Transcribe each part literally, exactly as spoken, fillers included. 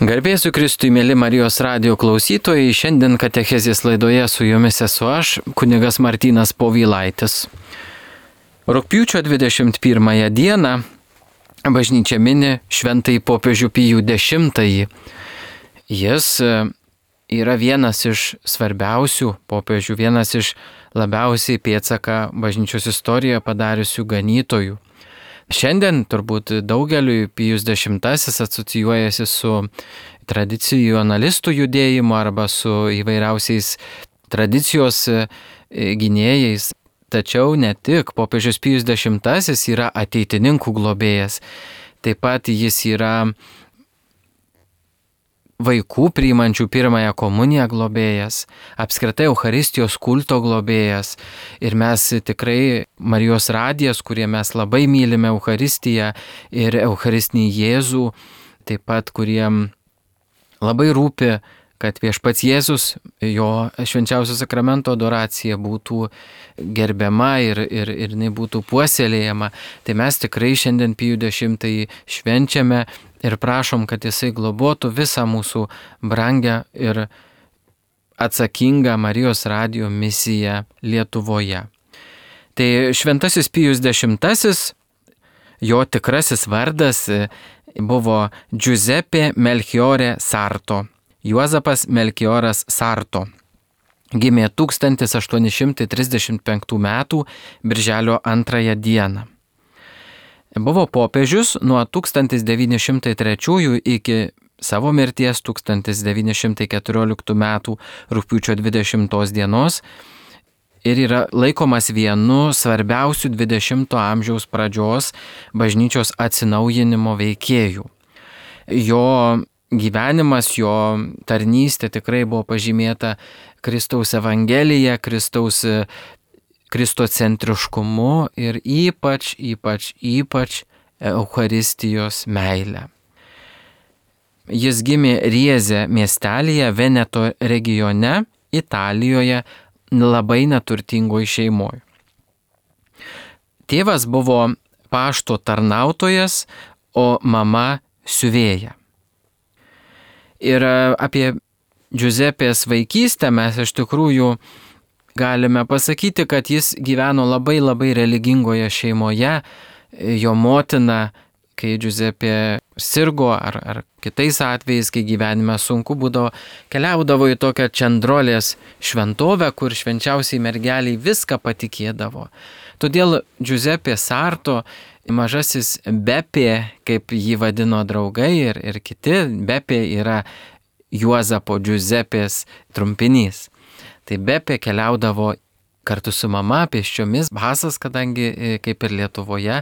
Garbėsiu Kristui, mėly Marijos radijo klausytojai, šiandien katechezės laidoje su jumis esu aš, kunigas Martynas Povilaitis. Rugpjūčio dvidešimt pirmąją dieną bažnyčia mini šventąjį popiežių Pijų dešimtąjį. Jis yra vienas iš svarbiausių popiežių, vienas iš labiausiai pėdsaką bažnyčios istorijoje padariusių ganytojų. Šiandien turbūt daugeliui Pijus dešimtasis asocijuojasi su tradicionalistų judėjimu arba su įvairiausiais tradicijos gynėjais. Tačiau ne tik, popiežius Pijus dešimtasis yra ateitininkų globėjas. Taip pat jis yra vaikų priimančių pirmąją komuniją globėjas, apskritai Eucharistijos kulto globėjas. Ir mes tikrai Marijos radijas, kurie mes labai mylime Eucharistiją ir Eucharistinį Jėzų, taip pat kuriem labai rūpi, kad viešpats Jėzus, jo švenčiausio sakramento adoracija būtų gerbiama ir, ir, ir jinai būtų puoselėjama. Tai mes tikrai šiandien Pijų dešimtąjį švenčiame ir prašom, kad jisai globotų visą mūsų brangę ir atsakingą Marijos radijo misiją Lietuvoje. Tai šventasis Pijus dešimtasis, jo tikrasis vardas buvo Giuseppe Melchiorre Sarto. Juozapas Melchioras Sarto. Gimė tūkstantis aštuoni šimtai trisdešimt penktų metų birželio antrąją dieną. Buvo popiežius nuo tūkstantis devyni šimtai trečiųjų iki savo mirties tūkstantis devyni šimtai keturioliktų metų rugpjūčio dvidešimtos dienos ir yra laikomas vienu svarbiausių dvidešimto amžiaus pradžios bažnyčios atsinaujinimo veikėjų. Jo gyvenimas, jo tarnystė tikrai buvo pažymėta Kristaus Evangelija, Kristaus kristocentriškumu ir ypač, ypač, ypač Eucharistijos meilė. Jis gimė Rieze miestelyje Veneto regione, Italijoje, labai neturtingoje šeimoje. Tėvas buvo pašto tarnautojas, o mama siuvėja. Ir apie Giuseppės vaikystę mes iš tikrųjų galime pasakyti, kad jis gyveno labai labai religingoje šeimoje. Jo motina, kai Giuseppe sirgo ar, ar kitais atvejais, kai gyvenime sunku būdavo, keliaudavo į tokią Čendrolės šventovę, kur švenčiausiai mergeliai viską patikėdavo. Todėl Giuseppe Sarto, mažasis Bepė, kaip jį vadino draugai ir, ir kiti, Bepė yra Juozapo Giuseppės trumpinys. Tai Bepė keliaudavo kartu su mama pėsčiomis, basas, kadangi kaip ir Lietuvoje,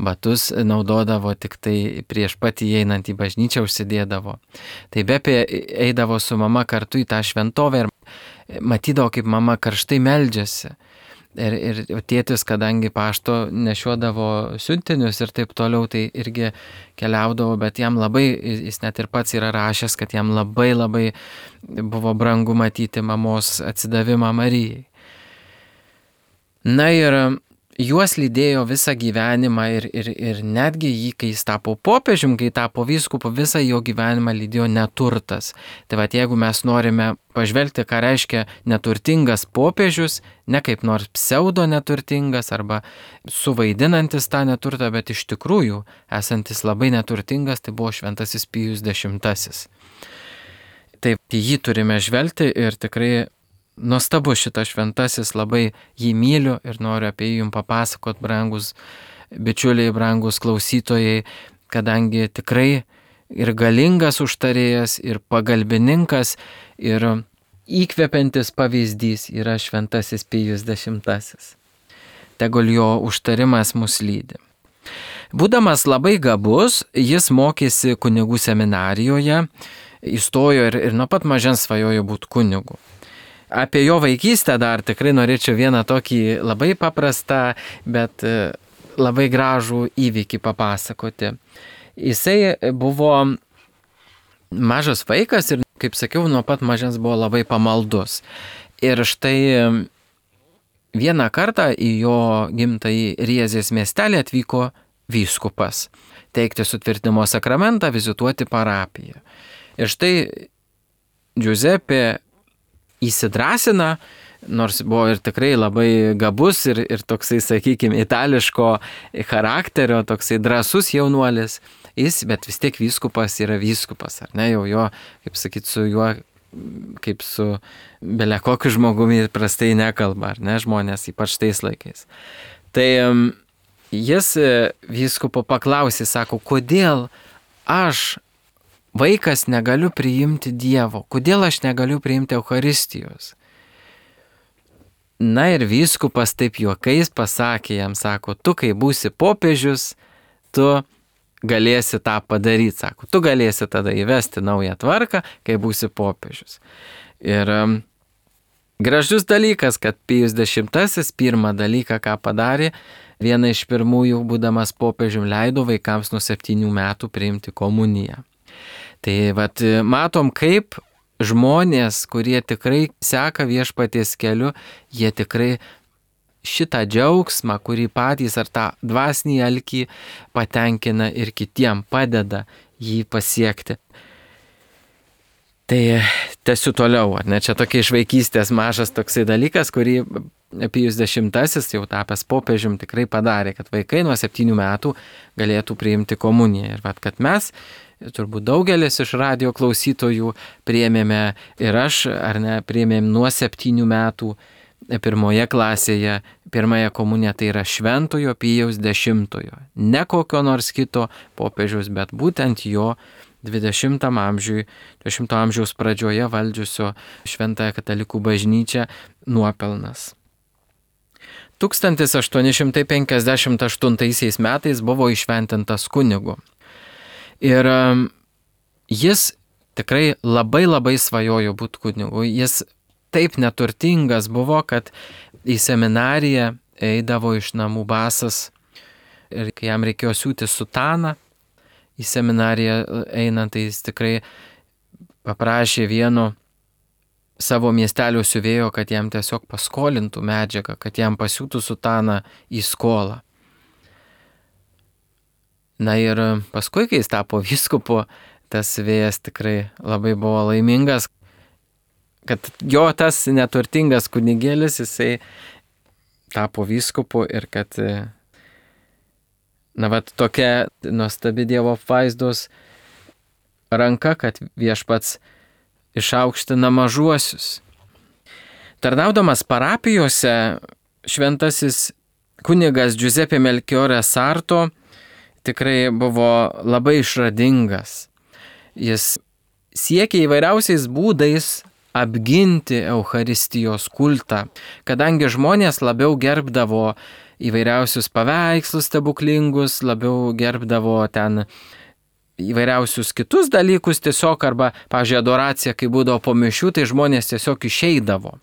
batus naudodavo tik tai prieš pat įeinant į bažnyčią užsidėdavo. Tai Bepė eidavo su mama kartu į tą šventovę ir matydavo, kaip mama karštai meldžiasi. Ir, ir tėtis, kadangi pašto nešiodavo siuntinius ir taip toliau, tai irgi keliaudavo, bet jam labai, jis net ir pats yra rašęs, kad jam labai labai buvo brangu matyti mamos atsidavimą Marijai. Na ir juos lydėjo visą gyvenimą ir, ir, ir netgi jį, kai jis tapo popiežium, kai tapo vyskupu, visą jo gyvenimą lydėjo neturtas. Tai vat jeigu mes norime pažvelgti, ką reiškia neturtingas popiežius, ne kaip nors pseudo neturtingas arba suvaidinantis tą neturtą, bet iš tikrųjų esantis labai neturtingas, tai buvo šventasis Pijus dešimtasis. Taip, jį turime žvelgti ir tikrai nuostabu šitas šventasis, labai jį myliu ir noriu apie jį jums papasakot, brangus bičiuliai, brangus klausytojai, kadangi tikrai ir galingas užtarėjas, ir pagalbininkas, ir įkvepiantis pavyzdys yra šventasis Pijus dešimtasis. Tegul jo užtarimas mus lydi. Būdamas labai gabus, jis mokėsi kunigų seminarijoje, įstojo ir, ir nuo pat mažens svajojo būti kunigu. Apie jo vaikystę dar tikrai norėčiau vieną tokį labai paprastą, bet labai gražų įvykį papasakoti. Jisai buvo mažas vaikas ir, kaip sakiau, nuo pat mažens buvo labai pamaldus. Ir štai vieną kartą į jo gimtąjį Riezės miestelį atvyko vyskupas teikti sutvirtinimo sakramentą, vizituoti parapiją. Ir štai Giuseppe įsidrasina, nors buvo ir tikrai labai gabus ir, ir toksai, sakykime, itališko charakterio, toksai drąsus jaunuolis, jis, bet vis tiek vyskupas yra vyskupas, ar ne, jau jo, kaip sakyti, su juo, kaip su bele kokiu žmogumi prastai nekalba, ar ne, žmonės, ypač tais laikais. Tai jis vyskupo paklausė, sako, kodėl aš, vaikas, negaliu priimti Dievo, kodėl aš negaliu priimti Eucharistijos? Na ir vyskupas taip juokais pasakė jam, sako, tu kai būsi popiežius, tu galėsi tą padaryti, sako, tu galėsi tada įvesti naują tvarką, kai būsi popiežius. Ir um, gražus dalykas, kad Pijus dešimtasis pirmą dalyką, ką padarė, vieną iš pirmųjų, būdamas popiežium, leido vaikams nuo septynių metų priimti komuniją. Tai vat, matom, kaip žmonės, kurie tikrai seka viešpaties keliu, jie tikrai šitą džiaugsmą, kurį patys ar tą dvasinį alkį patenkina ir kitiem padeda jį pasiekti. Tai tęsiu toliau, ar ne? Čia tokia iš vaikystės mažas toksai dalykas, kurį Pijus dešimtasis, jau tapęs popiežium, tikrai padarė, kad vaikai nuo septynių metų galėtų priimti komuniją. Ir vat, kad mes, turbūt daugelis iš radijo klausytojų priėmėme ir aš, ar ne, priėmėm nuo septynių metų pirmoje klasėje, pirmąją komuniją, tai yra Šventojo Pijaus dešimtojo. Ne kokio nors kito popiežiaus, bet būtent jo dvidešimtam amžiui, dvidešimto amžiaus pradžioje valdžiusio Šventąją katalikų bažnyčią nuopelnas. tūkstantis aštuoni šimtai penkiasdešimt aštuntaisiais metais buvo įšventintas kunigu. Ir jis tikrai labai labai svajojo būti kunigu. Jis taip neturtingas buvo, kad į seminariją eidavo iš namų basas ir kai jam reikėjo siūti sutaną, į seminariją einant, tai jis tikrai paprašė vieno savo miestelio siuvėjo, kad jam tiesiog paskolintų medžiagą, kad jam pasiūtų sutaną į skolą. Na ir paskui, kai jis tapo vyskupu, tas siuvėjas tikrai labai buvo laimingas, kad jo tas neturtingas kunigėlis, jisai tapo vyskupu ir kad, na, vat, tokia nuostabi Dievo apvaizdos ranka, kad viešpats išaukština mažuosius. Tarnaudamas parapijose, šventasis kunigas Giuseppe Melchiorre Sarto tikrai buvo labai išradingas. Jis siekė įvairiausiais būdais apginti Eucharistijos kultą, kadangi žmonės labiau gerbdavo įvairiausius paveikslus stebuklingus, labiau gerbdavo ten įvairiausius kitus dalykus tiesiog, arba, pavyzdžiui, adoracija, kai būdavo po mišių, tai žmonės tiesiog išeidavo.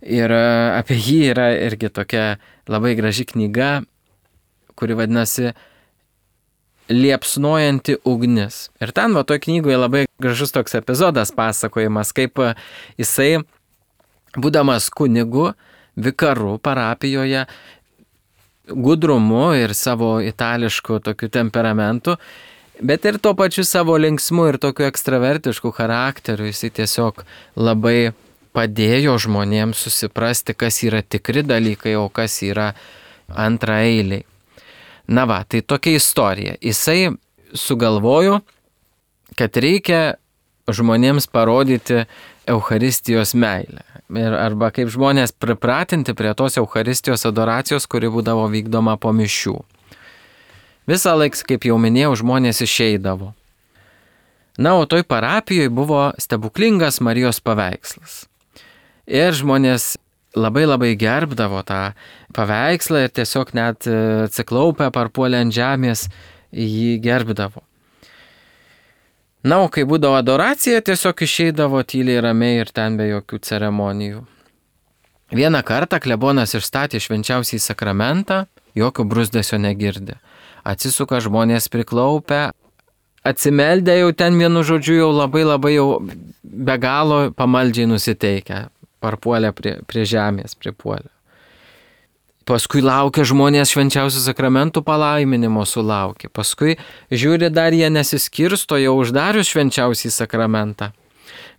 Ir apie jį yra irgi tokia labai graži knyga, kuri vadinasi Liepsnojanti ugnis. Ir ten, va, toj knygoje labai gražus toks epizodas pasakojimas, kaip jisai, būdamas kunigu, vikaru parapijoje, gudrumu ir savo itališku tokiu temperamentu, bet ir tuo pačiu savo linksmu ir tokiu ekstravertišku charakteriu, jisai tiesiog labai padėjo žmonėms susiprasti, kas yra tikri dalykai, o kas yra antraeiliai. Na va, tai tokia istorija. Jisai sugalvojo, kad reikia žmonėms parodyti Eucharistijos meilę. Ir, arba kaip žmonės pripratinti prie tos Eucharistijos adoracijos, kuri būdavo vykdoma po mišių. Visą laiką, kaip jau minėjau, žmonės išeidavo. Na, o toj parapijoje buvo stebuklingas Marijos paveikslas. Ir žmonės labai labai gerbdavo tą paveikslą ir tiesiog net atsiklaupę parpuolę ant žemės jį gerbdavo. Na, o kai būdavo adoracija, tiesiog išeidavo tyliai ramiai ir ten be jokių ceremonijų. Vieną kartą klebonas išstatė švenčiausiąjį sakramentą, jokio brūzdesio negirdi. Atsisuka žmonės priklaupę, atsimeldę jau ten vienu žodžiu jau labai labai jau be galo pamaldžiai nusiteikę. Parpuolė prie, prie žemės, pripuolė. paskui laukia žmonės švenčiausių sakramentų palaiminimo sulaukia, paskui žiūri dar jie nesiskirsto jau uždarius švenčiausiai sakramentą.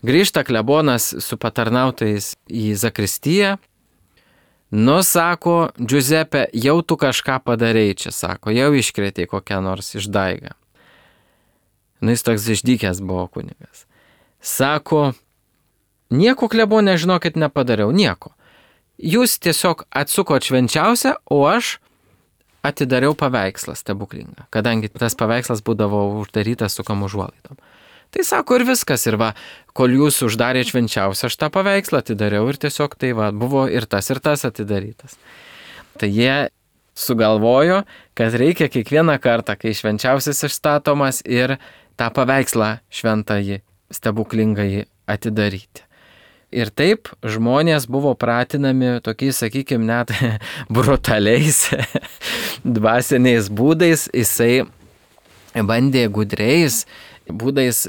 Grįžta klebonas su patarnautojais į zakristiją, nu sako, Giuseppe, jau tu kažką padarei čia, sako, jau iškrėtei kokią nors išdaigą. Nu jis toks išdykęs buvo kunigas. Sako, nieko klebonė, žinokit, nepadariau, nieko. Jūs tiesiog atsukot švenčiausią, o aš atidariau paveikslą stebuklingą, kadangi tas paveikslas būdavo uždarytas su kam užuolaidom. Tai sako ir viskas, ir va, kol jūs uždarėte švenčiausią, aš tą paveikslą atidariau ir tiesiog tai va, buvo ir tas, ir tas atidarytas. Tai jie sugalvojo, kad reikia kiekvieną kartą, kai švenčiausias išstatomas, ir tą paveikslą šventąjį, stebuklingąjį atidaryti. Ir taip žmonės buvo pratinami tokiais, sakykime, net brutaliais dvasiniais būdais. Jisai bandė gudriais būdais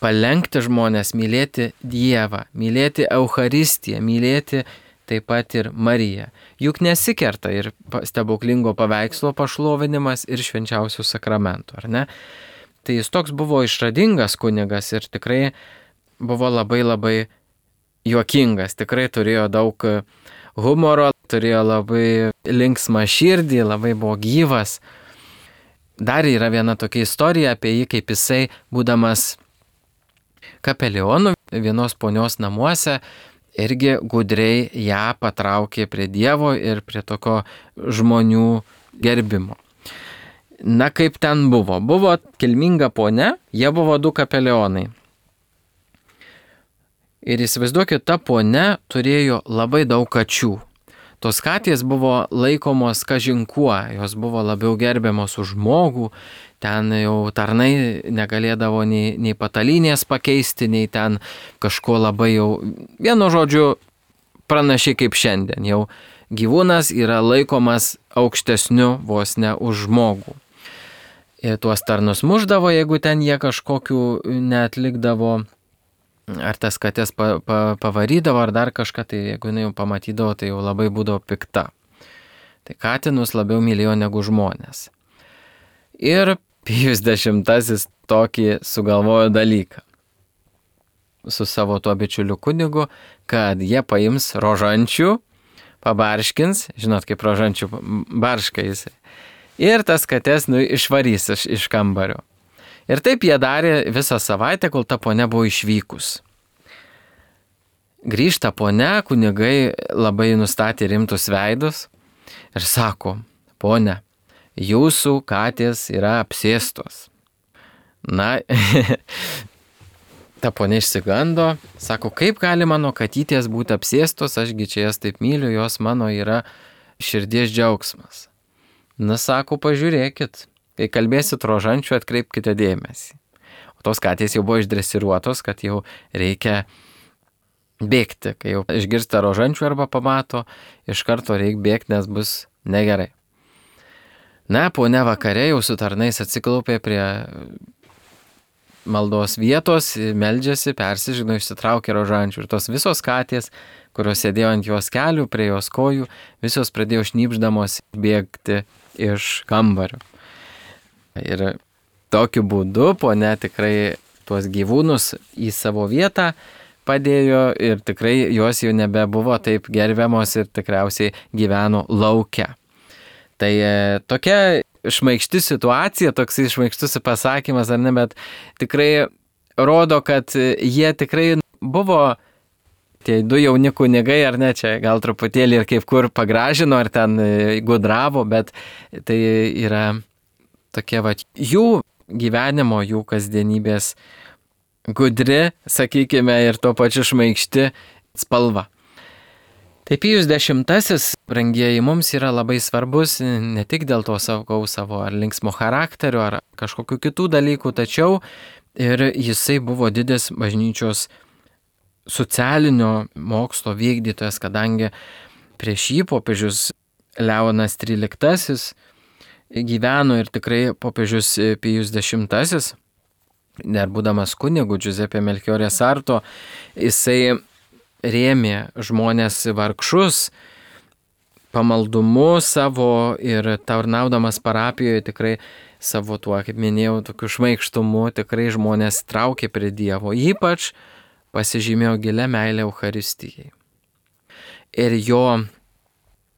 palenkti žmonės mylėti Dievą, mylėti Eucharistiją, mylėti taip pat ir Mariją. Juk nesikerta ir stebuklingo paveikslo pašlovinimas ir švenčiausių sakramentų, ar ne? Tai jis toks buvo išradingas kunigas ir tikrai buvo labai labai juokingas, tikrai turėjo daug humoro, turėjo labai linksmą širdį, labai buvo gyvas. Dar yra viena tokia istorija apie jį, kaip jisai, būdamas kapelionu vienos ponios namuose, irgi gudriai ją patraukė prie Dievo ir prie tokio žmonių gerbimo. Na kaip ten buvo? Buvo kilminga ponia, jie buvo du kapelionai. Ir įsivaizduokit, ta ponia turėjo labai daug kačių. Tos katės buvo laikomos kažinkuo, jos buvo labiau gerbiamos už žmogų, ten jau tarnai negalėdavo nei, nei patalynės pakeisti, nei ten kažko labai jau, vienu žodžiu, pranašiai kaip šiandien, jau gyvūnas yra laikomas aukštesniu vos ne už žmogų. Ir tuos tarnus muždavo, jeigu ten jie kažkokių neatlikdavo, ar tas katės pa, pa, pavarydavo, ar dar kažką, tai jeigu jinai jau pamatydavo, tai jau labai būdavo pikta. Tai katinus labiau mylėjo negu žmonės. Ir Pijus dešimtasis tokį sugalvojo dalyką su savo tuo bičiuliu kunigu, kad jie paims rožančių, pabarškins, žinot kaip rožančių barška jisai, ir tas katės nu, išvarys iš, iš kambario. Ir taip jie darė visą savaitę, kol ta ponia buvo išvykus. Grįžta ponia, kunigai labai nustatė rimtus veidus ir sako, ponia, jūsų katės yra apsėstos. Na, ta ponia išsigando, sako, kaip gali mano katytės būti apsėstos, ašgi čia jas taip myliu, jos mano yra širdies džiaugsmas. Na, sako, pažiūrėkit. Kai kalbėsit rožančių, atkreipkite dėmesį. O tos katės jau buvo išdresiruotos, kad jau reikia bėgti. Kai jau išgirsta rožančių arba pamato, iš karto reikia bėgti, nes bus negerai. Na, ponia vakare jau su tarnais atsiklaupė prie maldos vietos, meldžiasi, persižino, išsitraukė rožančių. Ir tos visos katės, kurios sėdėjo ant jos kelių, prie jos kojų, visos pradėjo šnipždamos bėgti iš kambario. Ir tokiu būdu ponia tikrai tuos gyvūnus į savo vietą padėjo ir tikrai jos jau nebebuvo taip gerbiamos ir tikriausiai gyveno lauke. Tai e, tokia šmaikšti situacija, toks šmaikštus pasakymas, ar ne, bet tikrai rodo, kad jie tikrai buvo tie du jauni kunigai, ar ne, čia gal truputėlį ir kaip kur pagražino, ar ten gudravo, bet tai yra tokie va, jų gyvenimo, jų kasdienybės gudri, sakykime, ir tuo pačiu šmaikšti spalva. Tai Pijus dešimtasis, brangieji, mums yra labai svarbus ne tik dėl to savo, savo ar linksmo charakterio, ar kažkokių kitų dalykų, tačiau ir jisai buvo didis bažnyčios socialinio mokslo vykdytojas, kadangi prieš jį popiežius Leonas tryliktasis gyveno ir tikrai popiežius Pijus dešimtasis, dar būdamas kunigu Giuseppe Melchiorre Sarto, jisai rėmė žmonės vargšus, pamaldumu savo ir tarnaudamas parapijoje tikrai savo tuo, kaip minėjau, tokiu šmaikštumu tikrai žmonės traukė prie Dievo. Ypač pasižymėjo gilę meilę Eucharistijai. Ir jo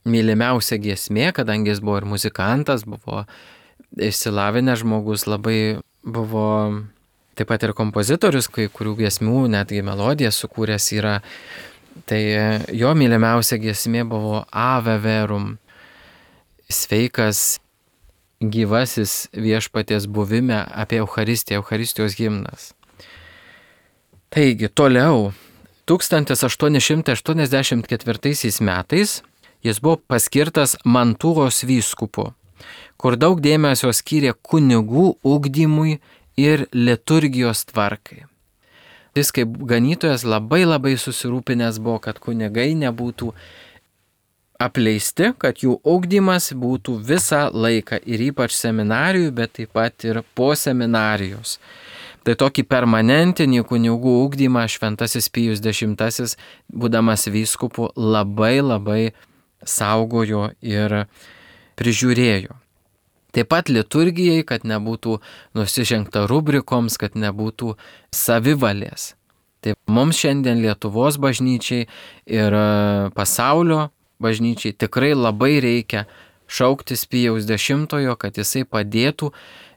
mylimiausia giesmė, kadangi jis buvo ir muzikantas, buvo išsilavinęs žmogus, labai buvo taip pat ir kompozitorius, kai kurių giesmių, netgi melodijas sukūręs yra. Tai jo mylimiausia giesmė buvo Ave Verum, sveikas gyvasis viešpaties buvime, apie Eucharistiją, Eucharistijos himnas. Taigi, toliau, tūkstantis aštuoni šimtai aštuoniasdešimt ketvirtaisiais metais jis buvo paskirtas Mantūros vyskupu, kur daug dėmesio skyrė kunigų ugdymui ir liturgijos tvarkai. Jis kaip ganytojas labai labai susirūpinęs buvo, kad kunigai nebūtų apleisti, kad jų ugdymas būtų visą laiką ir ypač seminarijų, bet taip pat ir po seminarijos. Tai tokį permanentinį kunigų ugdymą šventasis Pijus X, būdamas vyskupu, labai labai saugojo ir prižiūrėjo. Taip pat liturgijai, kad nebūtų nusižengta rubrikoms, kad nebūtų savivalės. Tai mums šiandien Lietuvos bažnyčiai ir pasaulio bažnyčiai tikrai labai reikia šauktis Pijaus X, kad jisai padėtų,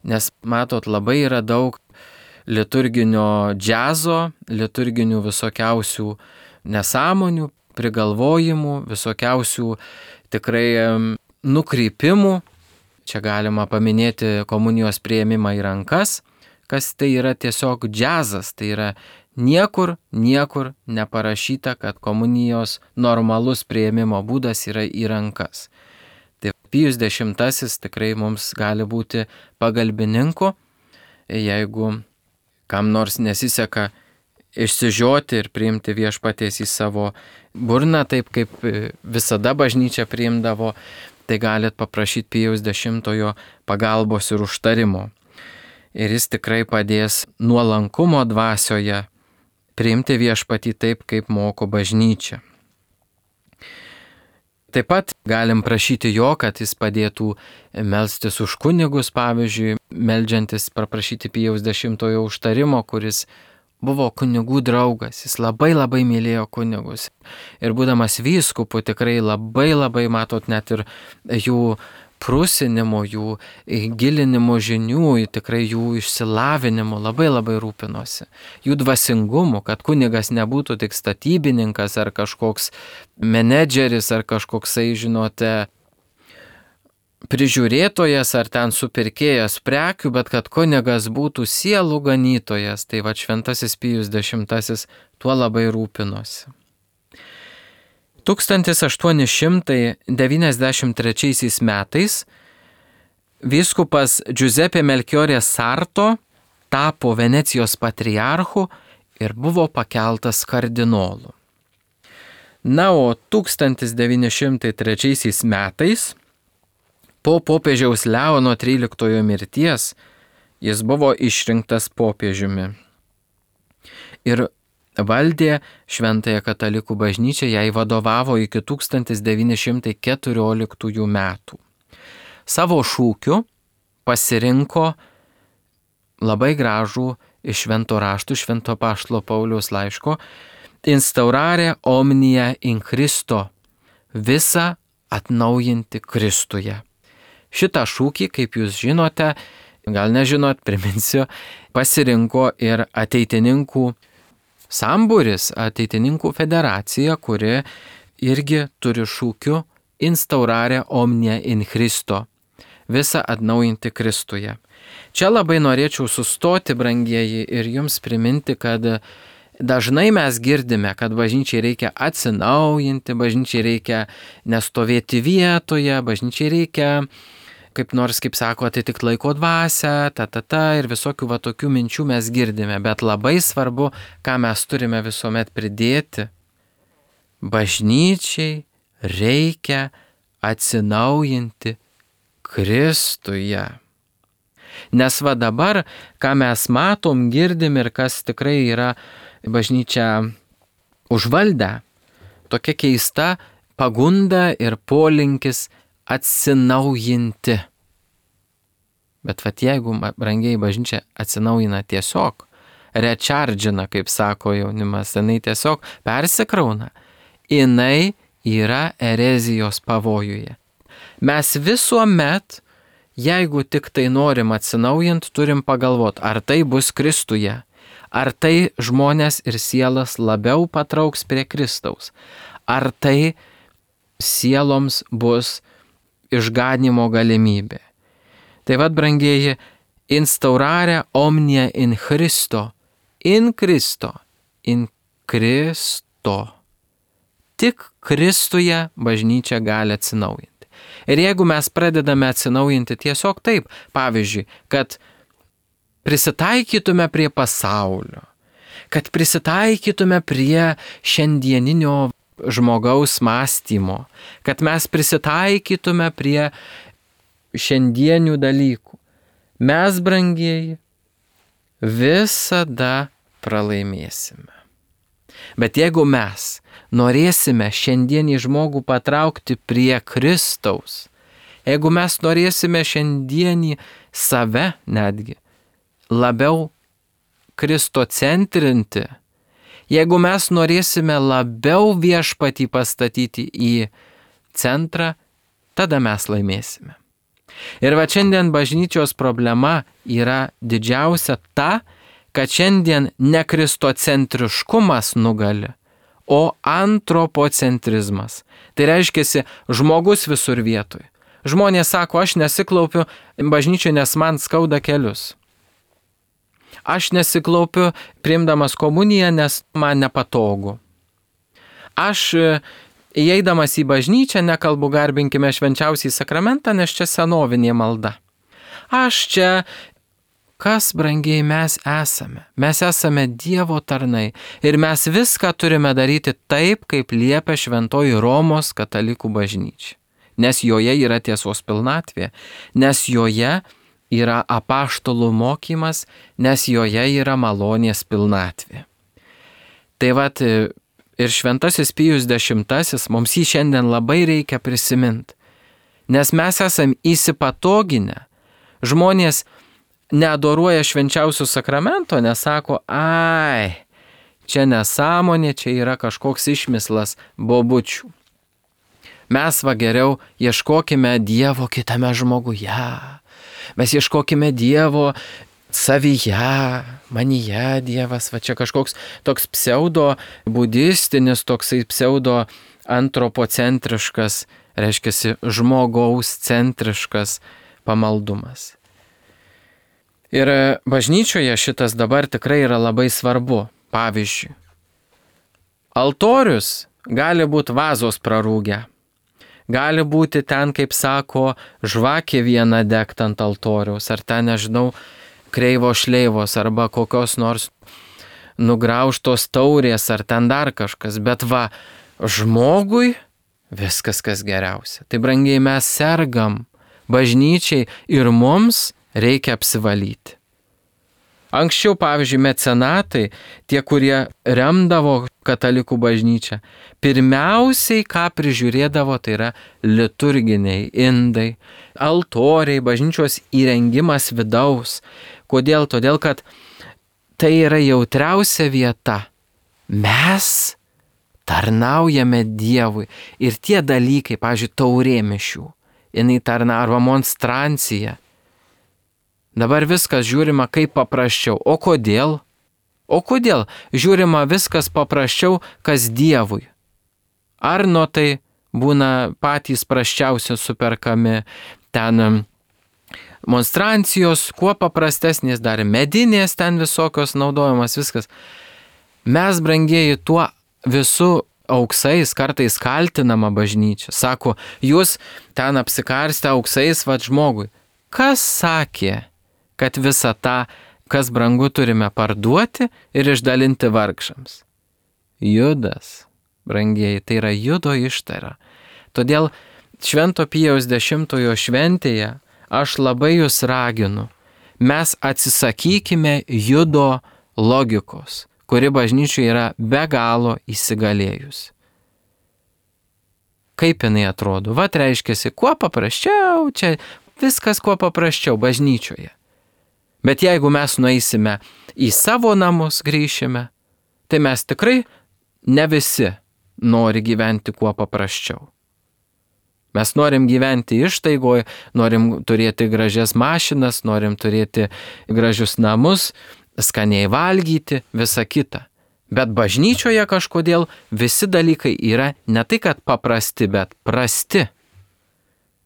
nes matot, labai yra daug liturginio džiazo, liturginių visokiausių nesąmonių, prigalvojimų, visokiausių tikrai nukrypimų. Čia galima paminėti komunijos priėmimą į rankas, kas tai yra tiesiog džiazas, tai yra niekur, niekur neparašyta, kad komunijos normalus priėmimo būdas yra į rankas. Tai Pijus X tikrai mums gali būti pagalbininku, jeigu kam nors nesiseka išsižioti ir priimti viešpaties į savo burną, taip kaip visada bažnyčia priimdavo, tai galit paprašyti Pijaus X pagalbos ir užtarimo. Ir jis tikrai padės nuolankumo dvasioje priimti viešpatį taip, kaip moko bažnyčia. Taip pat galim prašyti jo, kad jis padėtų melstis už kunigus, pavyzdžiui, meldžiantis paprašyti Pijaus X užtarimo, kuris buvo kunigų draugas, jis labai labai mylėjo kunigus. Ir būdamas vyskupu tikrai labai labai matot net ir jų prusinimo, jų gilinimo žinių, tikrai jų išsilavinimo labai labai rūpinosi. Jų dvasingumu, kad kunigas nebūtų tik statybininkas ar kažkoks menedžeris ar kažkoksai, žinote, prižiūrėtojas ar ten supirkėjas prekių, bet kad kunigas būtų sielų ganytojas. Tai va šventasis Pijus X tuo labai rūpinosi. tūkstantis aštuoni šimtai devyniasdešimt trečiaisiais metais vyskupas Giuseppe Melchiorė Sarto tapo Venecijos patriarchu ir buvo pakeltas kardinolu. Na, o tūkstantis devyni šimtai trečiaisiais metais po popiežiaus Leono tryliktojo mirties jis buvo išrinktas popiežiumi ir valdė Šventąją katalikų bažnyčią, jai vadovavo iki tūkstantis devyni šimtai keturioliktųjų metų. Savo šūkiu pasirinko labai gražų iš Švento rašto, Švento apaštalo Pauliaus laiško, instaurare omnia in Christo, visa atnaujinti Kristuje. Šitą šūkį, kaip jūs žinote, gal nežinot, priminsiu, pasirinko ir ateitininkų sambūris, ateitininkų federacija, kuri irgi turi šūkiu instaurare omnia in Christo, visą atnaujinti Kristuje. Čia labai norėčiau sustoti, brangieji, ir jums priminti, kad dažnai mes girdime, kad bažnyčiai reikia atsinaujinti, bažnyčiai reikia nestovėti vietoje, bažnyčiai reikia kaip nors, kaip sako, atitikti laiko dvasią, ta, ta, ta, ir visokių va tokių minčių mes girdime, bet labai svarbu, ką mes turime visuomet pridėti. Bažnyčiai reikia atsinaujinti Kristuje. Nes va dabar, ką mes matom, girdim ir kas tikrai yra bažnyčia užvaldę, tokia keista pagunda ir polinkis atsinaujinti. Bet vat jeigu, brangiai, bažnyčia atsinaujina tiesiog, rechargina, kaip sako jaunimas, jinai tiesiog persikrauna, jinai yra erezijos pavojuje. Mes visuomet, jeigu tik tai norim atsinaujinti, turim pagalvoti, ar tai bus Kristuje, ar tai žmonės ir sielas labiau patrauks prie Kristaus, ar tai sieloms bus išganimo galimybė. Tai vad, brangieji, instaurare omnia in Christo, in Kristo, in Kristo. Tik Kristuje bažnyčia gali atsinaujinti. Ir jeigu mes pradedame atsinaujinti tiesiog taip, pavyzdžiui, kad prisitaikytume prie pasaulio, kad prisitaikytume prie šiandieninio žmogaus mąstymo, kad mes prisitaikytume prie šiandienių dalykų, mes, brangieji, visada pralaimėsime. Bet jeigu mes norėsime šiandienį žmogų patraukti prie Kristaus, jeigu mes norėsime šiandienį save netgi labiau kristocentrinti, jeigu mes norėsime labiau viešpatį pastatyti į centrą, tada mes laimėsime. Ir va šiandien bažnyčios problema yra didžiausia ta, kad šiandien ne kristocentriškumas nugali, o antropocentrizmas. Tai reiškia žmogus visur vietoj. Žmonės sako, aš nesiklaupiu bažnyčiai, nes man skauda kelius. Aš nesiklaupiu priimdamas komuniją, nes man nepatogu. Aš įeidamas į bažnyčią nekalbu garbinkime švenčiausiai sakramentą, nes čia senovinė malda. Aš čia, kas, brangiai, mes esame? Mes esame Dievo tarnai ir mes viską turime daryti taip, kaip liepia šventoji Romos katalikų bažnyčia. Nes joje yra tiesos pilnatvė, nes joje yra apaštalų mokymas, nes joje yra malonės pilnatvė. Tai vat, ir šventasis Pijus dešimtasis mums jį šiandien labai reikia prisiminti, nes mes esam įsipatoginę. Žmonės neadoruoja švenčiausių sakramento, nesako, ai, čia nesąmonė, čia yra kažkoks išmislas bobučių. Mes va geriau ieškokime Dievo kitame žmoguje, mes ieškokime Dievo savyje, manyje Dievas, va čia kažkoks toks pseudo budistinis, toksai pseudo antropocentriškas, reiškia žmogaus centriškas pamaldumas. Ir bažnyčioje šitas dabar tikrai yra labai svarbu. Pavyzdžiui, altorius gali būti vazos prarūgę, gali būti ten, kaip sako, žvakė viena degt ant altoriaus, ar ten, nežinau, kreivo šleivos arba kokios nors nugraužtos taurės ar ten dar kažkas, bet va, žmogui viskas kas geriausia. Tai brangiai mes sergam bažnyčiai ir mums reikia apsivalyti. Anksčiau, pavyzdžiui, mecenatai, tie, kurie remdavo katalikų bažnyčią, pirmiausiai, ką prižiūrėdavo, tai yra liturginiai indai, altoriai, bažnyčios įrengimas vidaus. Kodėl? Todėl, kad tai yra jautriausia vieta. Mes tarnaujame Dievui. Ir tie dalykai, pavyzdžiui, taurė mišių, jinai tarna arba monstrancija. Dabar viskas žiūrima kaip paprasčiau. O kodėl? O kodėl žiūrima viskas paprasčiau, kas Dievui? Ar nuo tai būna patys prasčiausi superkami ten monstrancijos, kuo paprastesnės, dar medinės ten visokios naudojamas viskas. Mes, brangieji, tuo visų auksais kartais kaltinama bažnyčia. Sako, jūs ten apsikarstę auksais vat žmogui. Kas sakė, kad visą tą, kas brangu, turime parduoti ir išdalinti vargšams? Judas, brangieji, tai yra Judo ištara. Todėl Švento Pijaus dešimtojo šventėje aš labai jūs raginu, mes atsisakykime Judo logikos, kuri bažnyčioje yra be galo įsigalėjusi. Kaip jinai atrodo? Vat reiškiasi, kuo paprasčiau, čia viskas kuo paprasčiau bažnyčioje. Bet jeigu mes nueisime į savo namus, grįšime, tai mes tikrai ne visi nori gyventi kuo paprasčiau. Mes norim gyventi ištaigoje, norim turėti gražias mašinas, norim turėti gražius namus, skaniai valgyti, visa kita. Bet bažnyčioje kažkodėl visi dalykai yra ne tai, kad paprasti, bet prasti.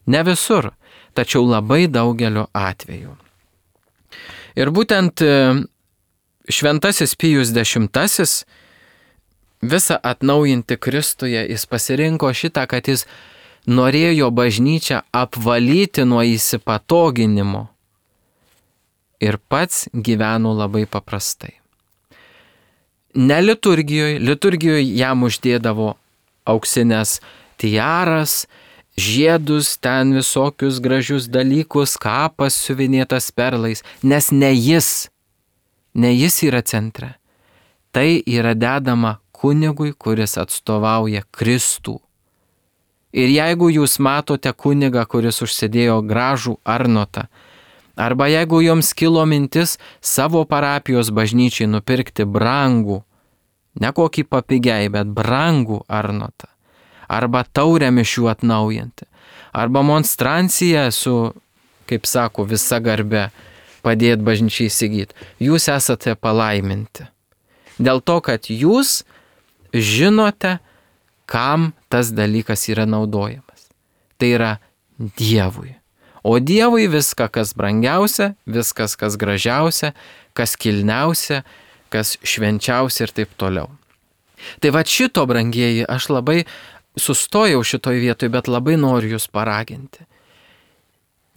Ne visur, tačiau labai daugeliu atveju. Ir būtent šventasis Pijus dešimtasis visą atnaujinti Kristuje, jis pasirinko šitą, kad jis norėjo bažnyčią apvalyti nuo įsipatoginimo ir pats gyveno labai paprastai. Ne liturgijoje, liturgijoje jam uždėdavo auksinės tiaras, žiedus, ten visokius gražius dalykus, kapas siuvinėtas perlais, nes ne jis, ne jis yra centre. Tai yra dedama kunigui, kuris atstovauja Kristų. Ir jeigu jūs matote kunigą, kuris užsidėjo gražų arnotą, arba jeigu jums kilo mintis savo parapijos bažnyčiai nupirkti brangų, ne kokį papigiai, bet brangų arnotą, arba taurę mišių atnaujinti, arba monstranciją su, kaip sako, visa garbe padėti bažnyčiai įsigyti, jūs esate palaiminti. Dėl to, kad jūs žinote, kam tas dalykas yra naudojamas. Tai yra Dievui. O Dievui viską, kas brangiausia, viskas, kas gražiausia, kas kilniausia, kas švenčiausia ir taip toliau. Tai va šito, brangieji, aš labai sustojau šitoj vietoj, bet labai noriu jūs paraginti.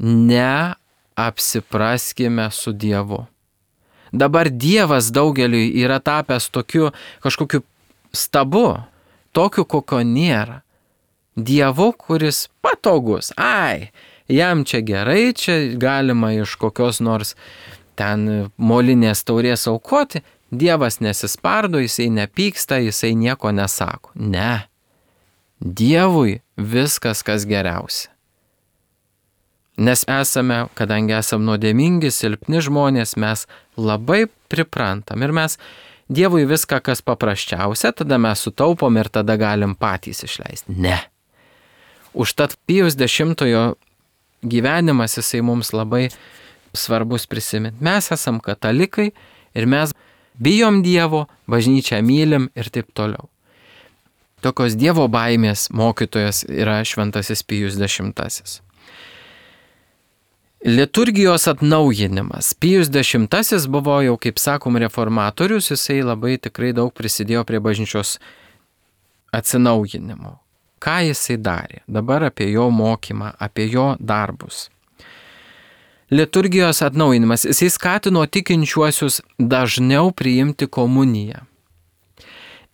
Neapsipraskime su Dievu. Dabar Dievas daugeliui yra tapęs tokiu kažkokiu stabu, tokiu, kokio nėra. Dievu, kuris patogus. Ai, jam čia gerai, čia galima iš kokios nors ten molinės taurės aukoti. Dievas nesispardo, jisai nepyksta, jisai nieko nesako. Ne. Dievui viskas, kas geriausia. Nes esame, kadangi esame nuodėmingi, silpni žmonės, mes labai priprantam. Ir mes Dievui viską, kas paprasčiausia, tada mes sutaupom ir tada galim patys išleisti. Ne. Užtat Pijus dešimtojo gyvenimas, jisai mums labai svarbus prisiminti. Mes esam katalikai ir mes bijom Dievo, bažnyčią mylim ir taip toliau. Tokios Dievo baimės mokytojas yra šventasis Pijus dešimtasis. Liturgijos atnaujinimas. Pijus dešimtasis buvo jau, kaip sakom, reformatorius, jisai labai tikrai daug prisidėjo prie bažnyčios atsinaujinimo. Ką jisai darė? Dabar apie jo mokymą, apie jo darbus. Liturgijos atnaujinimas. Jisai skatino tikinčiuosius dažniau priimti komuniją.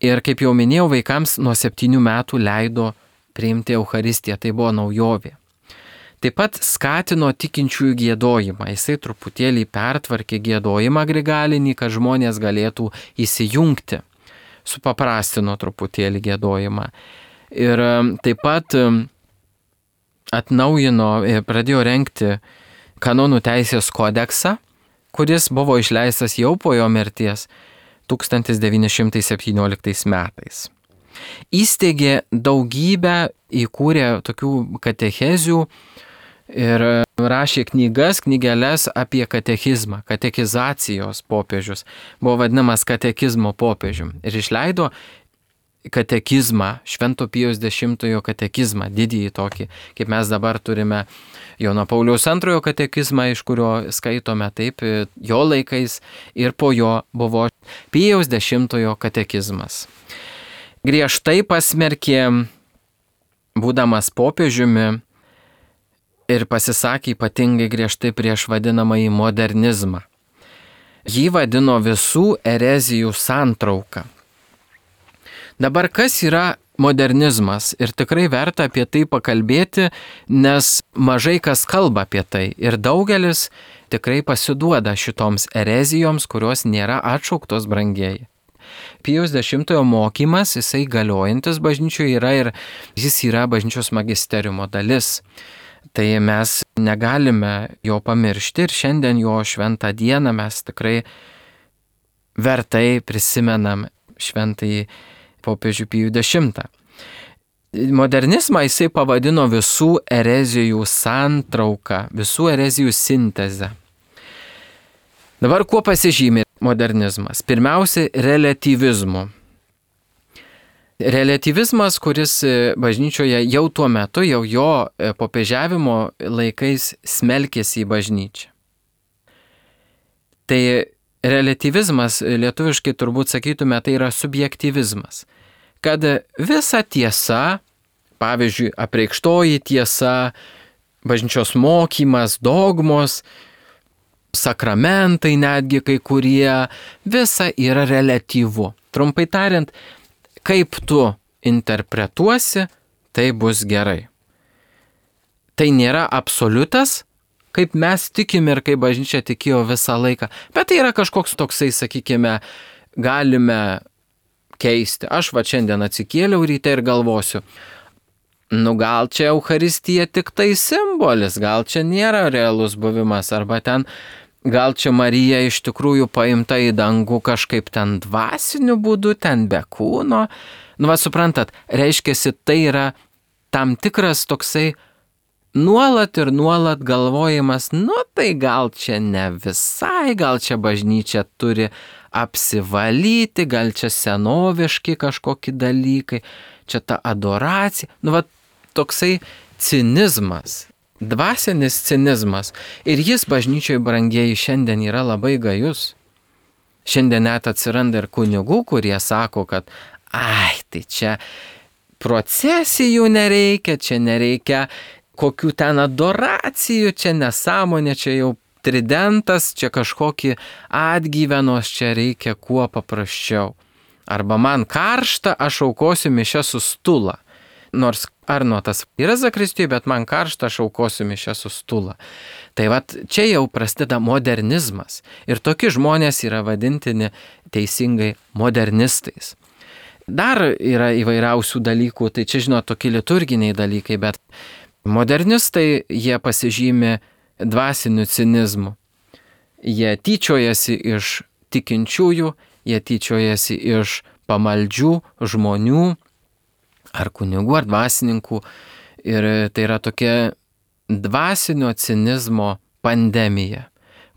Ir kaip jau minėjau, vaikams nuo septynių metų leido priimti Eucharistiją, tai buvo naujovė. Taip pat skatino tikinčiųjų giedojimą. Jisai truputėlį pertvarkė giedojimą grigalinį, kad žmonės galėtų įsijungti. Supaprastino truputėlį giedojimą. Ir taip pat atnaujino, pradėjo rengti kanonų teisės kodeksą, kuris buvo išleistas jau po jo mirties tūkstantis devyni šimtai septynioliktais metais. Įsteigė daugybę, įkūrė tokių katechezių ir rašė knygas, knygeles apie katechizmą, katekizacijos popiežius. Buvo vadinamas katekizmo popiežium. Ir išleido katekizmą, Švento Pijaus dešimtojo katekizmą, didįjį tokį, kaip mes dabar turime Jono Pauliaus antrojo katekizmą, iš kurio skaitome taip jo laikais, ir po jo buvo Pijaus dešimtojo katekizmas. Griežtai pasmerkė, būdamas popiežiumi, ir pasisakė ypatingai griežtai prieš vadinamąjį modernizmą. Jį vadino visų erezijų santrauka. Dabar kas yra modernizmas? Ir tikrai verta apie tai pakalbėti, nes mažai kas kalba apie tai. Ir daugelis tikrai pasiduoda šitoms erezijoms, kurios nėra atšauktos, brangieji. Pijaus dešimtojo mokymas, jisai galiojantis bažnyčioje yra ir jis yra bažnyčios magisteriumo dalis. Tai mes negalime jo pamiršti ir šiandien jo šventą dieną mes tikrai vertai prisimenam šventąjį popiežių Pijų dešimtą. Modernizmą jisai pavadino visų erezijų santrauką, visų erezijų sintezę. Dabar kuo pasižymi modernizmas? Pirmiausia, reliatyvizmu. Reliatyvizmas, kuris bažnyčioje jau tuo metu, jau jo popiežiavimo laikais smelkėsi į bažnyčią. Tai reliatyvizmas, lietuviškai turbūt sakytume, tai yra subjektyvizmas. Kad visa tiesa, pavyzdžiui, apreikštoji tiesa, bažnyčios mokymas, dogmos, sakramentai netgi kai kurie, visa yra reliatyvu. Trumpai tariant, kaip tu interpretuosi, tai bus gerai. Tai nėra absoliutas, kaip mes tikim ir kaip bažnyčia tikėjo visą laiką, bet tai yra kažkoks toksai, sakykime, galime keisti. Aš va šiandien atsikėliau ryte ir galvosiu, nu gal čia Eucharistija tik tai simbolis, gal čia nėra realus buvimas, arba ten gal čia Marija iš tikrųjų paimta į dangų kažkaip ten dvasiniu būdu, ten be kūno. Nu, va, suprantat, reiškiasi, tai yra tam tikras toksai nuolat ir nuolat galvojimas, nu, tai gal čia ne visai, gal čia bažnyčia turi apsivalyti, gal čia senoviški kažkokie dalykai, čia ta adoracija. Nu, va, toksai cinizmas. Dvasinis cinizmas. Ir jis bažnyčioje, brangieji, šiandien yra labai gajus. Šiandien net atsiranda ir kunigų, kurie sako, kad ai, tai čia procesijų nereikia, čia nereikia kokių ten adoracijų, čia nesąmonė, čia jau tridentas, čia kažkokį atgyvenos, čia reikia kuo paprasčiau. Arba man karšta, aš aukosiu mišias su stula. Nors Arnotas yra zakristijoje, bet man karšta, aš aukosiu mišias su stula. Tai vat čia jau prasideda modernizmas. Ir tokie žmonės yra vadintini teisingai modernistais. Dar yra įvairiausių dalykų, tai čia žinot tokie liturginiai dalykai, bet modernistai jie pasižymi dvasiniu cinizmu. Jie tyčiojasi iš tikinčiųjų, jie tyčiojasi iš pamaldžių žmonių, ar kunigų, ar dvasininkų. Ir tai yra tokia dvasinio cinizmo pandemija,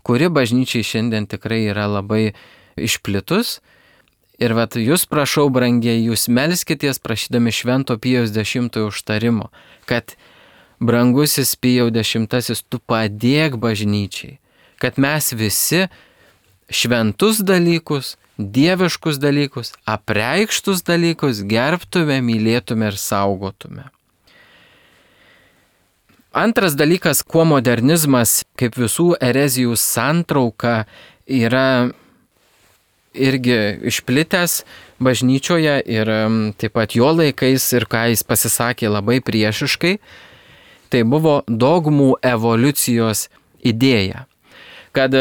kuri bažnyčiai šiandien tikrai yra labai išplitus. Ir vat jūs prašau, brangiai, jūs melskitės prašydami Švento Pijaus dešimtojo užtarimo, kad brangusis Pijau dešimtasis, tu padėk bažnyčiai, kad mes visi šventus dalykus, dieviškus dalykus, apreikštus dalykus gerbtume, mylėtume ir saugotume. Antras dalykas, kuo modernizmas kaip visų erezijų santrauka yra irgi išplitęs bažnyčioje ir taip pat jo laikais ir ką jis pasisakė labai priešiškai, tai buvo dogmų evoliucijos idėja. Kad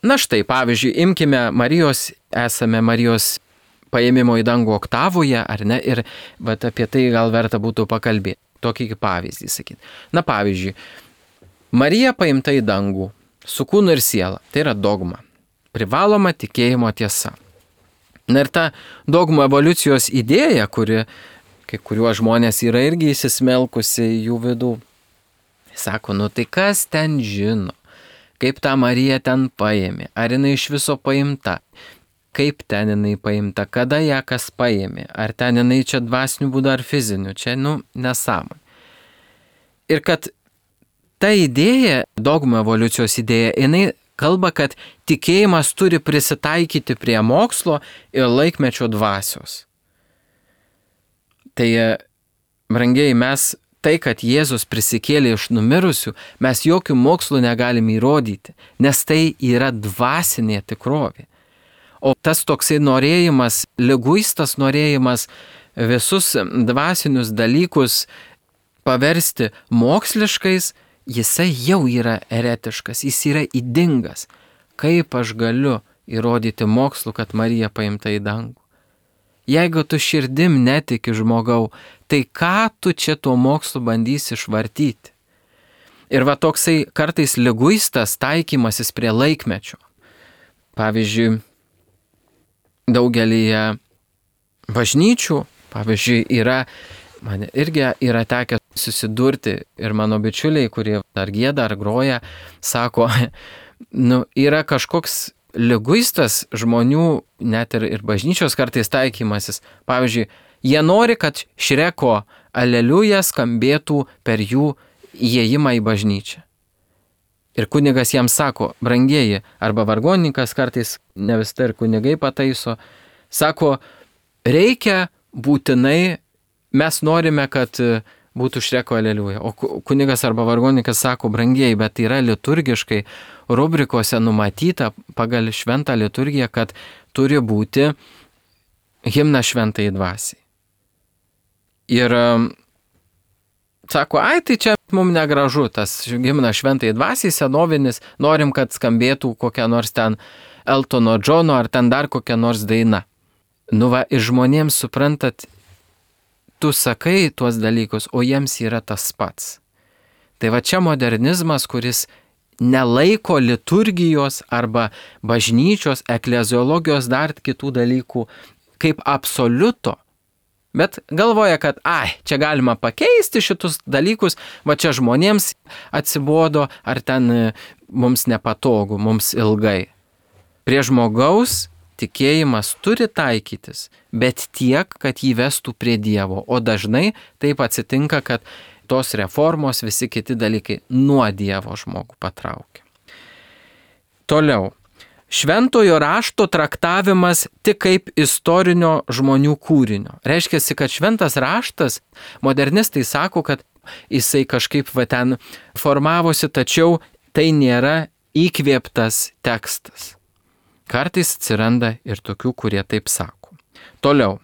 na štai, pavyzdžiui, imkime Marijos, esame Marijos paėmimo į dangų oktavoje, ar ne, ir vat, apie tai gal verta būtų pakalbėti. Tokį pavyzdį sakyti. Na pavyzdžiui, Marija paimta į dangų su kūnu ir siela. Tai yra dogma. Privaloma tikėjimo tiesa. Na ir ta dogmų evoliucijos idėja, kuri kai kuriuo žmonės yra irgi įsismelkusi į jų vidų, sako, nu tai kas ten žino? Kaip tą Mariją ten paėmė, ar jinai iš viso paimta, kaip ten jinai paimta, kada ją kas paėmė, ar ten jinai čia dvasiniu būdu ar fiziniu, čia, nu, nesąmonė. Ir kad ta idėja, dogmų evoliucijos idėja, jinai kalba, kad tikėjimas turi prisitaikyti prie mokslo ir laikmečio dvasios. Tai, brangiai, mes tai, kad Jėzus prisikėlė iš numirusių, mes jokių mokslų negalime įrodyti, nes tai yra dvasinė tikrovė. O tas toksai norėjimas, liguistas norėjimas visus dvasinius dalykus paversti moksliškais, jisai jau yra eretiškas, jis yra ydingas. Kaip aš galiu įrodyti mokslu, kad Marija paimta į dangų. Jeigu tu širdim netiki žmogau, tai ką tu čia tuo mokslu bandysi išvartyti? Ir va toksai kartais liguistas taikymasis prie laikmečio. Pavyzdžiui, daugelyje bažnyčių, pavyzdžiui, yra, man irgi yra tekę susidurti ir mano bičiuliai, kurie ar gieda, ar groja, sako, nu, yra kažkoks liguistas žmonių, net ir, ir bažnyčios kartais taikymasis. Pavyzdžiui, jie nori, kad Šreko aleliuja skambėtų per jų įėjimą į bažnyčią. Ir kunigas jam sako, brangieji, arba vargonininkas kartais, ne vis tai ir kunigai pataiso, sako, reikia būtinai, mes norime, kad būtų Šreko aleliuja. O kunigas arba vargonininkas sako, brangieji, bet yra liturgiškai rubrikose numatyta pagal šventą liturgiją, kad turi būti himna šventai dvasiai. Ir sako, ai, tai čia mums negražu, tas himna šventai dvasiai senovinis, norim, kad skambėtų kokia nors ten Eltono Džono ar ten dar kokia nors daina. Nu va, ir žmonėms suprantat, tu sakai tuos dalykus, o jiems yra tas pats. Tai va čia modernizmas, kuris nelaiko liturgijos arba bažnyčios, ekleziologijos, dar kitų dalykų kaip absoliuto, bet galvoja, kad ai, čia galima pakeisti šitus dalykus, va čia žmonėms atsibodo, ar ten mums nepatogu, mums ilgai. Prie žmogaus tikėjimas turi taikytis, bet tiek, kad jį vestų prie Dievo, o dažnai taip atsitinka, kad tos reformos, visi kiti dalykai nuo Dievo žmogų patraukia. Toliau. Šventojo rašto traktavimas tik kaip istorinio žmonių kūrinio. Reiškia, kad šventas raštas, modernistai sako, kad jisai kažkaip va ten formavosi, tačiau tai nėra įkvėptas tekstas. Kartais atsiranda ir tokių, kurie taip sako. Toliau.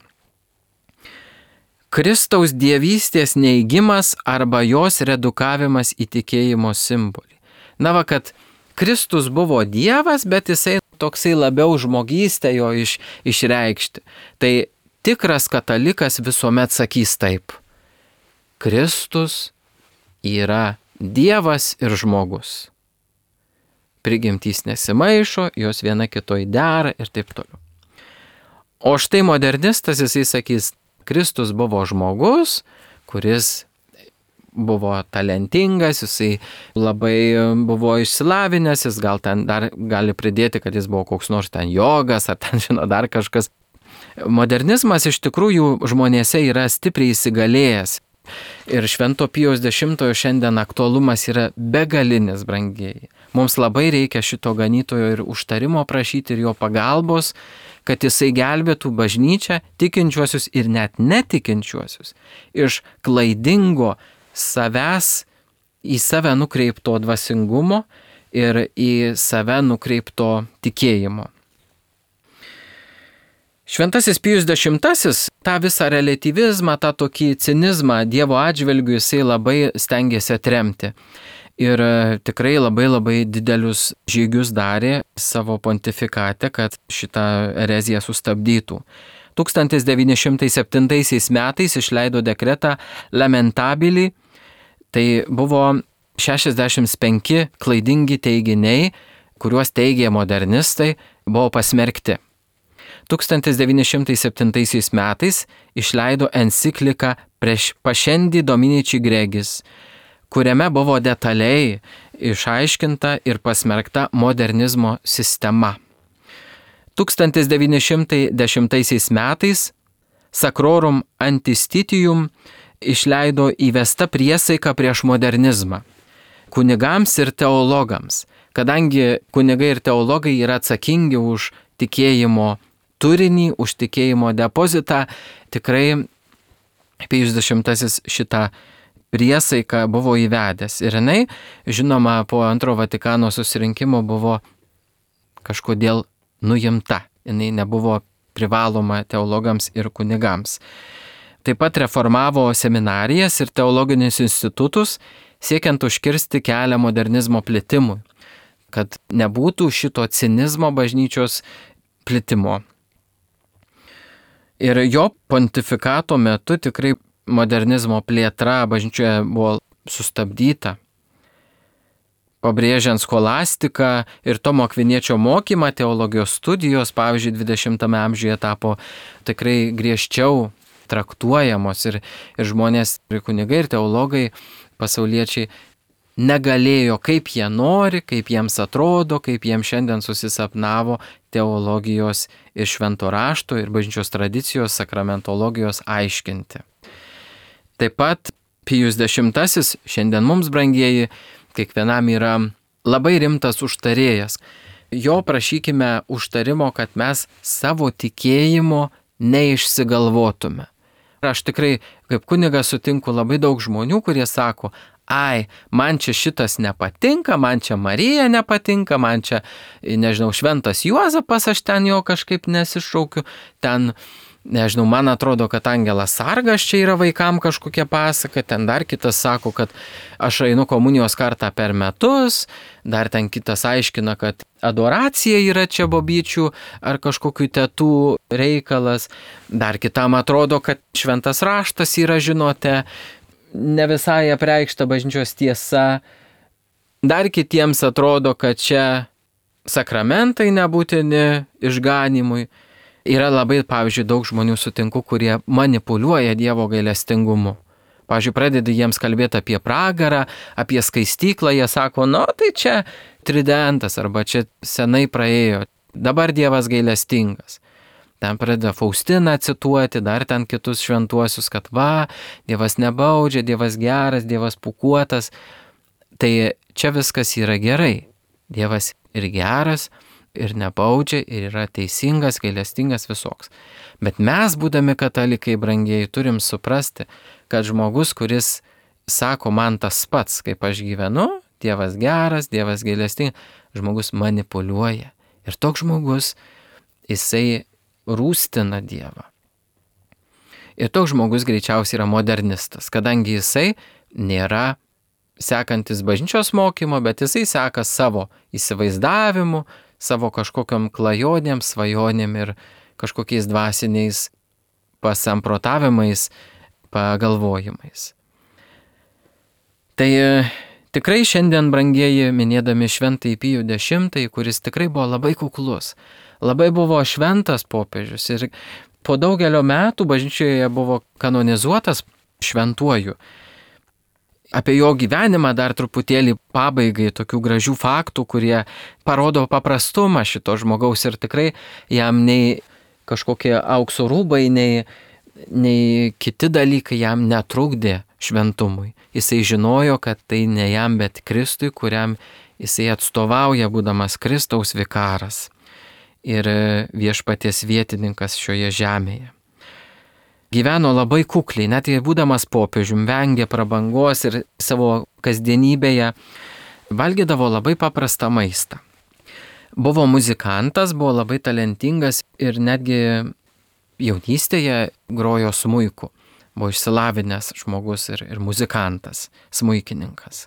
Kristaus dievystės neigimas arba jos redukavimas į tikėjimo simbolį. Na va, kad Kristus buvo Dievas, bet jisai toksai labiau žmogystę jo iš, išreikšti. Tai tikras katalikas visuomet sakys taip. Kristus yra Dievas ir žmogus. Prigimtys nesimaišo, jos viena kitoj dera ir taip toliau. O štai modernistas jisai sakys, Kristus buvo žmogus, kuris buvo talentingas, jisai labai buvo išsilavinęs, jis gal ten dar gali pridėti, kad jis buvo koks nors ten jogas, ar ten žino dar kažkas. Modernizmas iš tikrųjų žmonėse yra stipriai įsigalėjęs. Ir Švento Pijaus dešimtojo šiandien aktualumas yra begalinis, brangieji. Mums labai reikia šito ganytojo ir užtarimo prašyti ir jo pagalbos, kad jisai gelbėtų bažnyčią, tikinčiuosius ir net netikinčiuosius iš klaidingo savęs į save nukreipto dvasingumo ir į save nukreipto tikėjimo. Šventasis Pijus dešimtasis tą visą relativizmą, tą tokį cinizmą Dievo atžvilgiu jisai labai stengiasi atremti. Ir tikrai labai labai didelius žygius darė savo pontifikate, kad šitą ereziją sustabdytų. tūkstantis devyni šimtai septintaisiais metais išleido dekretą Lamentabili. Tai buvo šešiasdešimt penki klaidingi teiginiai, kuriuos teigė modernistai, buvo pasmerkti. tūkstantis devyni šimtai septintaisiais metais išleido encikliką prieš Pašendi Dominici Gregis, kuriame buvo detaliai išaiškinta ir pasmerkta modernizmo sistema. tūkstantis devyni šimtai dešimtaisiais metais Sacrorum Antistitium išleido įvesta priesaika prieš modernizmą kunigams ir teologams, kadangi kunigai ir teologai yra atsakingi už tikėjimo turinį, už tikėjimo depozitą, tikrai Pijus dešimtasis šitą priesaiką buvo įvedęs. Ir jinai, žinoma, po antro Vatikano susirinkimo buvo kažkodėl nuimta. Jinai nebuvo privaloma teologams ir kunigams. Taip pat reformavo seminarijas ir teologinius institutus, siekiant užkirsti kelią modernizmo plitimui. kad nebūtų šito cinizmo bažnyčios plitimo. Ir jo pontifikato metu tikrai modernizmo plėtra bažnyčioje buvo sustabdyta. Pabrėžiant skolastiką ir Tomo Akviniečio mokymą, teologijos studijos, pavyzdžiui, dvidešimtame amžiuje tapo tikrai griežčiau traktuojamos ir, ir žmonės, ir kunigai, ir teologai, pasauliečiai negalėjo, kaip jie nori, kaip jiems atrodo, kaip jiems šiandien susisapnavo teologijos ir švento rašto ir bažnyčios tradicijos, sakramentologijos aiškinti. Taip pat Pijus dešimtasis, šiandien mums brangieji, kiekvienam yra labai rimtas užtarėjas. Jo prašykime užtarimo, kad mes savo tikėjimo neišsigalvotume. Aš tikrai kaip kunigas sutinku labai daug žmonių, kurie sako, ai, man čia šitas nepatinka, man čia Marija nepatinka, man čia, nežinau, šventas Juozapas, aš ten jo kažkaip nesišaukiu, ten, nežinau, man atrodo, kad Angelas Sargas čia yra vaikam kažkokia pasaka, ten dar kitas sako, kad aš einu komunijos kartą per metus, dar ten kitas aiškina, kad adoracija yra čia bobyčių ar kažkokių tetų reikalas, dar kitam atrodo, kad šventas raštas yra, žinote, ne visai apreikšta bažnyčios tiesa, dar kitiems atrodo, kad čia sakramentai nebūtini išganimui. Yra labai, pavyzdžiui, daug žmonių sutinku, kurie manipuliuoja Dievo gailestingumu. Pavyzdžiui, pradedi jiems kalbėti apie pragarą, apie skaistyklą, jie sako, nu tai čia tridentas arba čia senai praėjo, dabar Dievas gailestingas. Ten pradeda Faustiną cituoti, dar ten kitus šventuosius, kad va, Dievas nebaudžia, Dievas geras, Dievas pūkuotas. Tai čia viskas yra gerai. Dievas ir geras, ir nebaudžia, ir yra teisingas, gailestingas visoks. Bet mes, būdami katalikai brangieji, turim suprasti, kad žmogus, kuris sako man tas pats, kaip aš gyvenu, Dievas geras, Dievas gailestingas, žmogus manipuliuoja. Ir toks žmogus, jisai rūstina Dievą. Ir toks žmogus greičiausiai yra modernistas, kadangi jisai nėra sekantis bažnyčios mokymo, bet jisai seka savo įsivaizdavimu, savo kažkokiam klajonėm, svajonėm ir kažkokiais dvasiniais pasamprotavimais, pagalvojimais. Tai tikrai šiandien, brangieji, minėdami šventąjį Pijų dešimtąjį, kuris tikrai buvo labai kuklus, labai buvo šventas popiežius ir po daugelio metų bažnyčioje buvo kanonizuotas šventuoju. Apie jo gyvenimą dar truputėlį pabaigai tokių gražių faktų, kurie parodo paprastumą šito žmogaus ir tikrai jam nei kažkokie aukso rūbai, nei, nei kiti dalykai jam netrukdė šventumui. Jisai žinojo, kad tai ne jam, bet Kristui, kuriam jisai atstovauja, būdamas Kristaus vikaras ir viešpaties vietininkas šioje žemėje. Gyveno labai kukliai, net ir būdamas popiežium, vengė prabangos ir savo kasdienybėje valgydavo labai paprastą maistą. Buvo muzikantas, buvo labai talentingas ir netgi jaunystėje grojo smuiku. Buvo išsilavinęs žmogus ir, ir muzikantas, smuikininkas.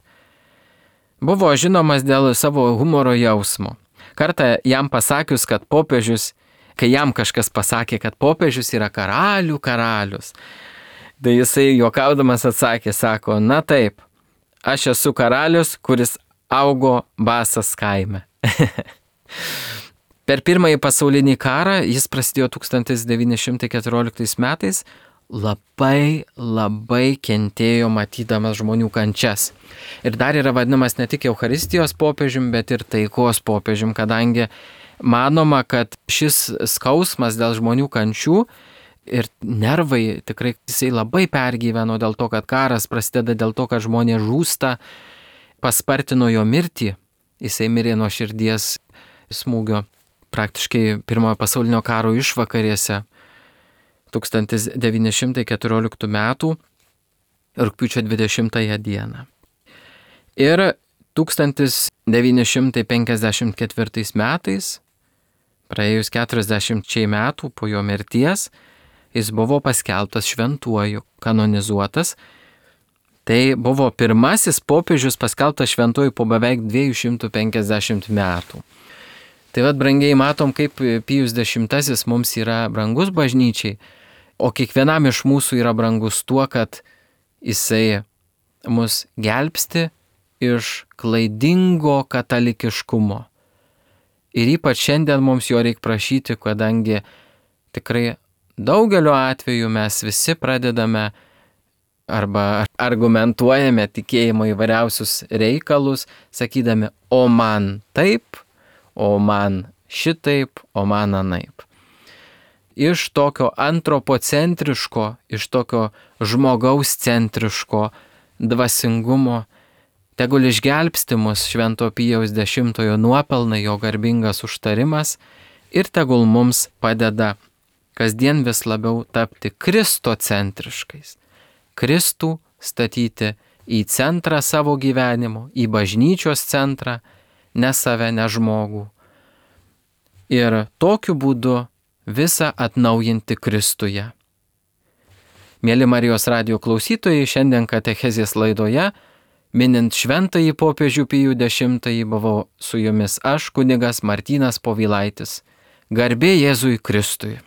Buvo žinomas dėl savo humoro jausmo. Kartą jam pasakius, kad popiežius kai jam kažkas pasakė, kad popiežius yra karalių karalius. Tai jisai juokaudamas atsakė, sako, na taip, aš esu karalius, kuris augo Basas kaime. Per pirmąjį pasaulinį karą, jis prasidėjo tūkstantis devyni šimtai keturioliktais metais, labai, labai kentėjo matydamas žmonių kančias. Ir dar yra vadinamas ne tik Eucharistijos popiežium, bet ir taikos popiežium, kadangi manoma, kad šis skausmas dėl žmonių kančių ir nervai tikrai jisai labai pergyveno dėl to, kad karas prasideda dėl to, kad žmonės žūsta, paspartino jo mirtį. Jisai mirė nuo širdies smūgio praktiškai pirmojo pasaulinio karo išvakarėse tūkstantis devyni šimtai keturioliktų metų rugpjūčio dvidešimtąją dieną. Ir tūkstantis devyni šimtai penkiasdešimt ketvirtais metais, praėjus keturiasdešimčiai metų po jo mirties, jis buvo paskelbtas šventuoju, kanonizuotas. Tai buvo pirmasis popiežius paskelbtas šventuoju po beveik dviejų šimtų penkiasdešimt metų. Tai vad, brangiai, matom, kaip Pijus dešimtasis mums yra brangus bažnyčiai, o kiekvienam iš mūsų yra brangus tuo, kad jisai mus gelbsti iš klaidingo katalikiškumo. Ir ypač šiandien mums jo reikia prašyti, kadangi tikrai daugeliu atveju mes visi pradedame arba argumentuojame tikėjimo įvairiausius reikalus, sakydami, o man taip, o man šitaip, o man anaip. Iš tokio antropocentriško, iš tokio žmogaus centriško dvasingumo tegul išgelbsti mus Švento Pijaus dešimtojo nuopelnai, jo garbingas užtarimas ir tegul mums padeda kasdien vis labiau tapti kristocentriškais. Kristų statyti į centrą savo gyvenimo, į bažnyčios centrą, ne save, ne žmogų. Ir tokiu būdu visą atnaujinti Kristuje. Mėly Marijos radijo klausytojai, šiandien katechezės laidoje, minint šventąjį popiežių Pijų dešimtąjį, buvau su jumis aš, kunigas Martynas Povilaitis. Garbė Jėzui Kristui.